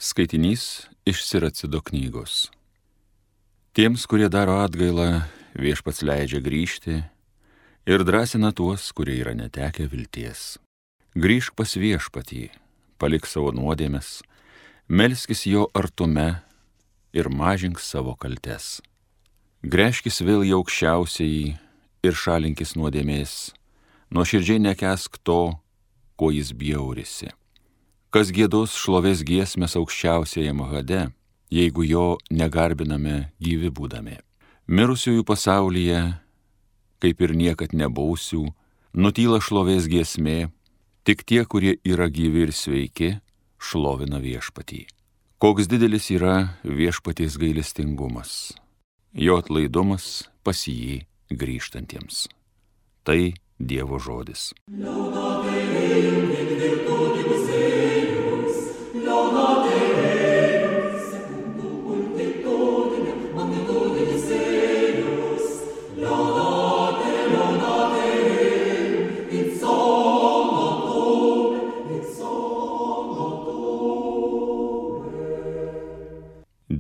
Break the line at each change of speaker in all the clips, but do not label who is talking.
Skaitinys iš Siracido knygos. Tiems, kurie daro atgailą, Viešpats leidžia grįžti ir drąsina tuos, kurie yra netekę vilties. Grįžk pas Viešpatį, palik savo nuodėmes, melskis jo artume ir mažink savo kaltes. Gręžkis vėl į aukščiausiąjį ir šalinkis nuodėmės, nuoširdžiai nekęsk to, kuo jis bjaurisi. Kas giedos šlovės giesmės aukščiausiajam Hade, jeigu jo negarbiname gyvi būdami. Mirusiųjų pasaulyje, kaip ir niekad nebūsiu, nutyla šlovės giesmė, tik tie, kurie yra gyvi ir sveiki, šlovina Viešpatį. Koks didelis yra Viešpaties gailestingumas, jo atlaidumas pas jį grįžtantiems. Tai Dievo žodis.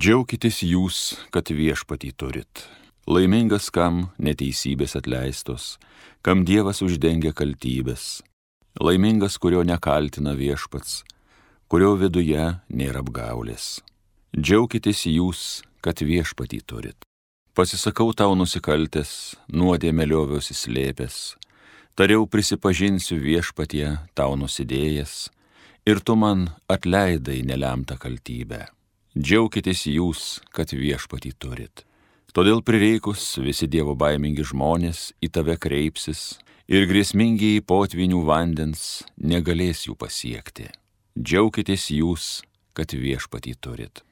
Džiaukitės jūs, kad Viešpatį turit. Laimingas, kam neteisybės atleistos, kam Dievas uždengia kaltybės. Laimingas, kurio nekaltina Viešpats, kurio viduje nėra apgaulės. Džiaukitės jūs, kad Viešpatį turit. Pasisakau tau nusikaltęs, nuodėmę lioviausi slėpęs, tariau prisipažinsiu Viešpatie tau nusidėjęs, ir tu man atleidai nelemtą kaltybę. Džiaukitės jūs, kad Viešpatį turit. Todėl prireikus visi Dievo baimingi žmonės į tave kreipsis ir grėsmingiai potvynių vandens negalės jų pasiekti. Džiaukitės jūs, kad Viešpatį turit.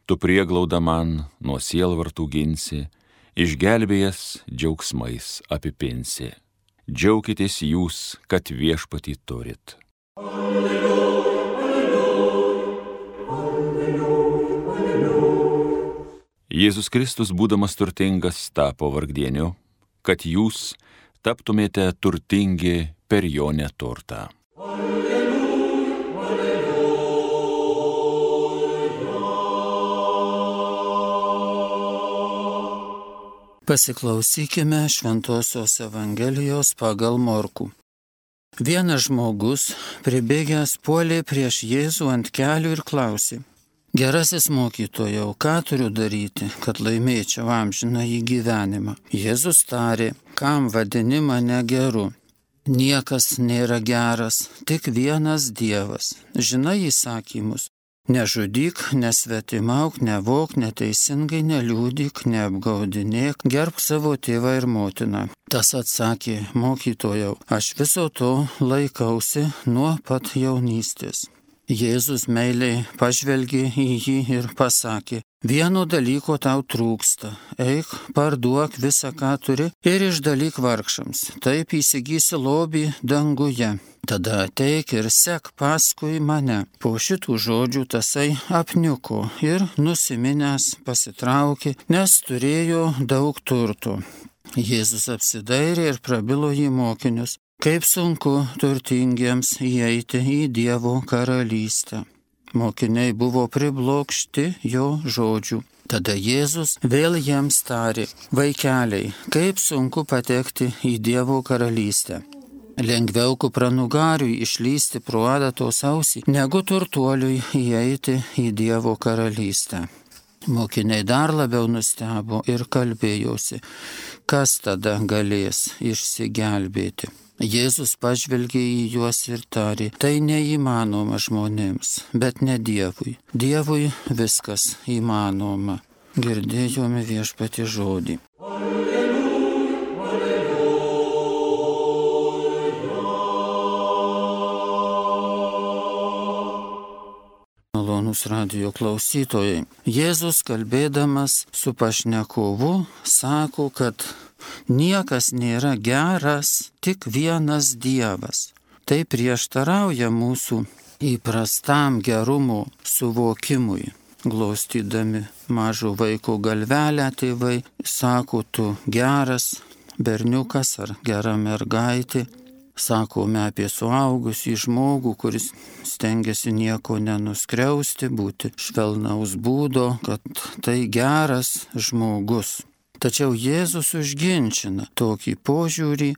Tu prieglauda man nuo sielvartų ginsi, išgelbėjęs džiaugsmais apipinsi. Džiaukitės jūs, kad Viešpatį turit. Jėzus Kristus, būdamas turtingas, tapo vargdieniu, kad jūs taptumėte turtingi per jo neturtą.
Pasiklausykime Šventosios Evangelijos pagal Morkų. Vienas žmogus, pribėgęs, puolė prieš Jėzų ant kelių ir klausė: Gerasis mokytojau, ką turiu daryti, kad laimėčiau amžinąjį gyvenimą? Jėzus tarė: kam vadini mane geru? Niekas nėra geras, tik vienas Dievas. Žinai įsakymus: nežudyk, nesvetimauk, nevok, neteisingai neliūdyk, neapgaudinėk, gerbk savo tėvą ir motiną. Tas atsakė: mokytojau, aš viso to laikausi nuo pat jaunystės. Jėzus meiliai pažvelgė į jį ir pasakė: vieno dalyko tau trūksta. Eik, parduok visą, ką turi, ir išdalyk vargšams. Taip įsigysi lobį danguje. Tada ateik ir sek paskui mane. Po šitų žodžių tasai apniuko ir nusiminęs pasitraukė, nes turėjo daug turtų. Jėzus apsidairė ir prabilo į mokinius: kaip sunku turtingiems įeiti į Dievo karalystę. Mokiniai buvo priblokšti jo žodžių. Tada Jėzus vėl jiems tarė: vaikeliai, kaip sunku patekti į Dievo karalystę. Lengviau kupranugariui išlysti pro adatos ausį, negu turtuoliui įeiti į Dievo karalystę. Mokiniai dar labiau nustebo ir kalbėjosi: kas tada galės išsigelbėti? Jėzus pažvelgė į juos ir tarė: tai neįmanoma žmonėms, bet ne Dievui. Dievui viskas įmanoma. Girdėjome Viešpatie žodį. Malonūs radijo klausytojai, Jėzus kalbėdamas su pašnekovu sako, kad niekas nėra geras, tik vienas Dievas. Tai prieštarauja mūsų įprastam gerumo suvokimui. Glaustydami mažo vaiko galvelę tėvai sako: tu geras berniukas ar gera mergaitė. sakome apie suaugusį žmogų, kuris stengiasi nieko nenuskriausti, būti švelnaus būdo, kad tai geras žmogus. Tačiau Jėzus užginčina tokį požiūrį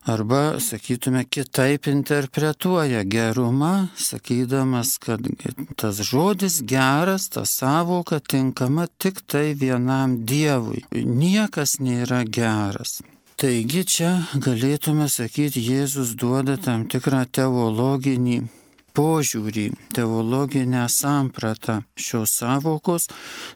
arba, sakytume, kitaip interpretuoja gerumą, sakydamas, kad tas žodis geras, ta sąvoka tinkama tik tai vienam Dievui. Niekas nėra geras. Taigi čia galėtume sakyti, Jėzus duoda tam tikrą teologinį požiūrį, teologinę sampratą šios sąvokos,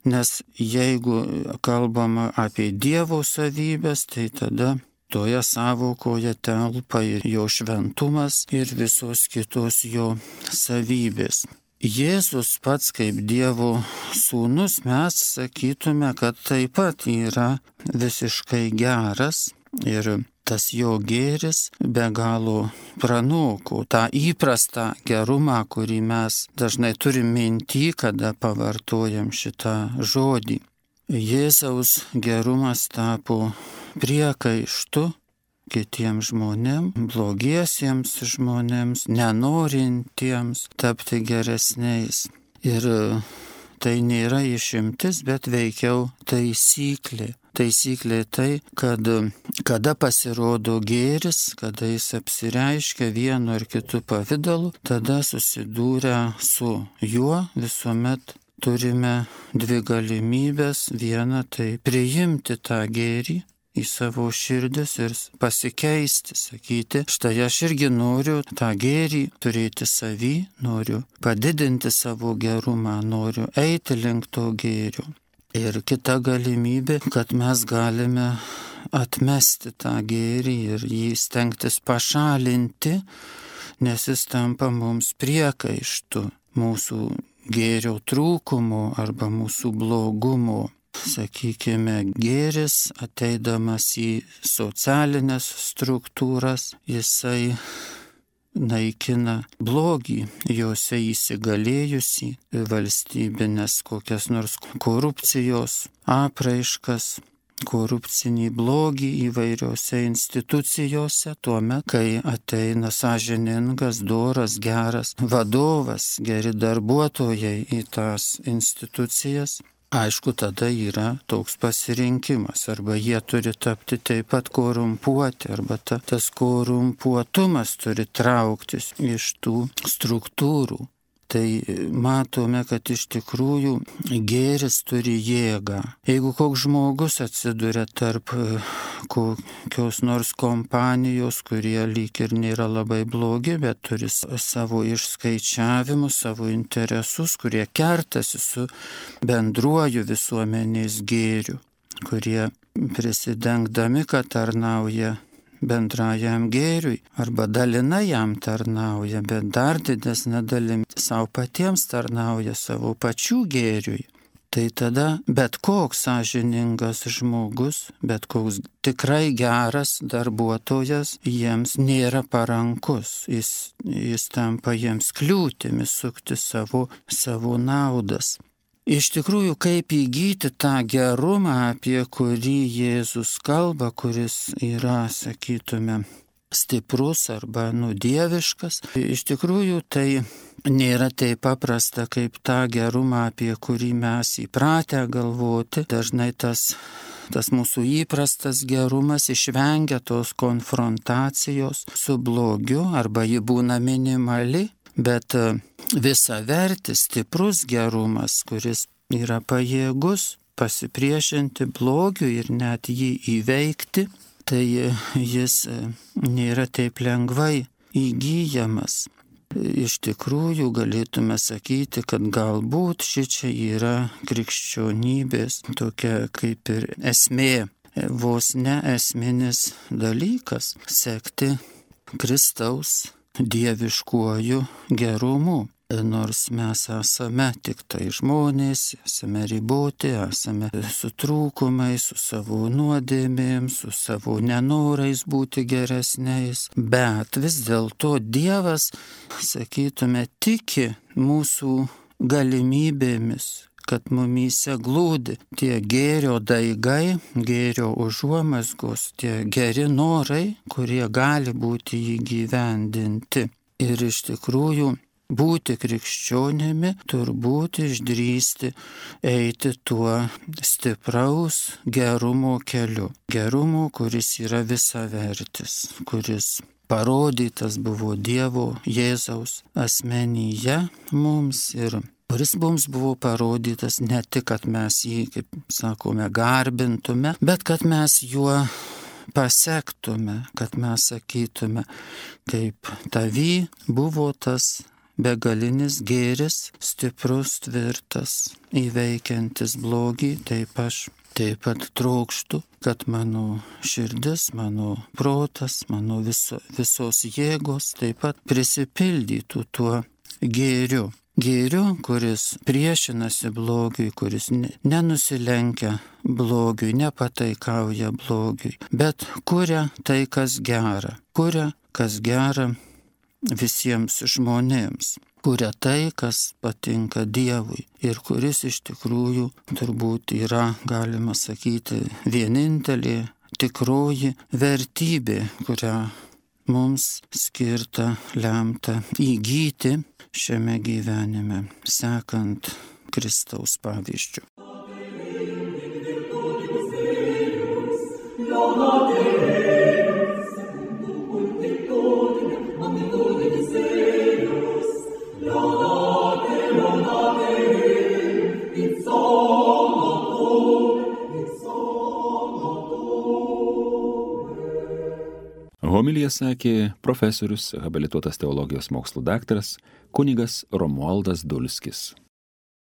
nes jeigu kalbama apie Dievo savybės, tai tada toje sąvokoje telpa ir jo šventumas ir visos kitos jo savybės. Jėzus pats kaip Dievo sūnus, mes sakytume, kad taip pat yra visiškai geras ir tas jo gėris be galo pranoko tą įprastą gerumą, kurį mes dažnai turim minty, kada pavartojam šitą žodį. Jėzaus gerumas tapo priekaištu kitiems žmonėms, blogiesiems žmonėms, nenorintiems tapti geresniais. Ir tai nėra išimtis, bet veikiau taisyklė. Taisyklė tai, kad kada pasirodo gėris, kada jis apsireiškia vienu ar kitu pavidalu, tada susidūrę su juo visuomet turime dvi galimybės. Viena tai priimti tą gėrį į savo širdis ir pasikeisti, sakyti, štai aš irgi noriu tą gėrį turėti savy, noriu padidinti savo gerumą, noriu eiti link to gėrio. Ir kita galimybė, kad mes galime atmesti tą gėrį ir jį stengtis pašalinti, nes jis tampa mums priekaištu mūsų gėrio trūkumo arba mūsų blogumo. Sakykime, gėris ateidamas į socialinės struktūras, jisai naikina blogį, jose įsigalėjusi valstybinės kokias nors korupcijos apraiškas, korupcinį blogį įvairiose institucijose, tuomet, kai ateina sąžiningas, doras, geras vadovas, geri darbuotojai į tas institucijas. Aišku, tada yra toks pasirinkimas, arba jie turi tapti taip pat korumpuoti, arba tas korumpuotumas turi trauktis iš tų struktūrų. Tai matome, kad iš tikrųjų gėris turi jėgą. Jeigu koks žmogus atsiduria tarp kokios nors kompanijos, kurie lyg ir nėra labai blogi, bet turi savo išskaičiavimus, savo interesus, kurie kertasi su bendruoju visuomenės gėriu, kurie prisidengdami, kad tarnauja bendrajam gėriui arba dalinai jam tarnauja, bet dar didesnė dalim savo patiems tarnauja savo pačių gėriui. Tai tada bet koks sąžiningas žmogus, bet koks tikrai geras darbuotojas jiems nėra parankus. Jis tampa jiems kliūtimi sukti savo naudas. Iš tikrųjų, kaip įgyti tą gerumą, apie kurį Jėzus kalba, kuris yra, sakytume, stiprus arba dieviškas, iš tikrųjų tai nėra taip paprasta kaip tą gerumą, apie kurį mes įpratę galvoti. Dažnai tas mūsų įprastas gerumas išvengia tos konfrontacijos su blogiu arba ji būna minimali. Bet visavertis, stiprus gerumas, kuris yra pajėgus pasipriešinti blogiui ir net jį įveikti, tai jis nėra taip lengvai įgyjamas. Iš tikrųjų galėtume sakyti, kad galbūt šičia yra krikščionybės tokia kaip ir esmė, vos ne esminis dalykas - sekti Kristaus dieviškuoju gerumu. Nors mes esame tik tai žmonės, esame riboti, esame su trūkumais, su savo nuodėmėm, su savo nenorais būti geresniais, bet vis dėlto Dievas, sakytume, tiki mūsų galimybėmis, kad mumyse glūdi tie gėrio daigai, gėrio užuomazgos, tie geri norai, kurie gali būti įgyvendinti. Ir iš tikrųjų būti krikščionimi turbūt išdrįsti eiti tuo stipraus gerumo keliu. Gerumo, kuris yra visavertis, kuris parodytas buvo Dievo Jėzaus asmenyje mums ir kuris mums buvo parodytas ne tik, kad mes jį, kaip sakome, garbintume, bet kad mes juo pasektume, kad mes sakytume, kaip tavy buvo tas begalinis gėris, stiprus, tvirtas, įveikiantis blogį, taip aš taip pat trokštu, kad mano širdis, mano protas, mano visos jėgos taip pat prisipildytų tuo gėriu. Gėriu, kuris priešinasi blogiui, kuris nenusilenkia blogiui, nepataikauja blogiui, bet kuria tai, kas gera. Kuria, kas gera visiems žmonėms. Kuria tai, kas patinka Dievui ir kuris iš tikrųjų turbūt yra, galima sakyti, vienintelė tikroji vertybė, kurią mums skirta, lemta įgyti šiame gyvenime, sekant Kristaus pavyzdžiu.
Homiliją sakė profesorius, habilituotas teologijos mokslų daktaras kunigas Romualdas Dulskis.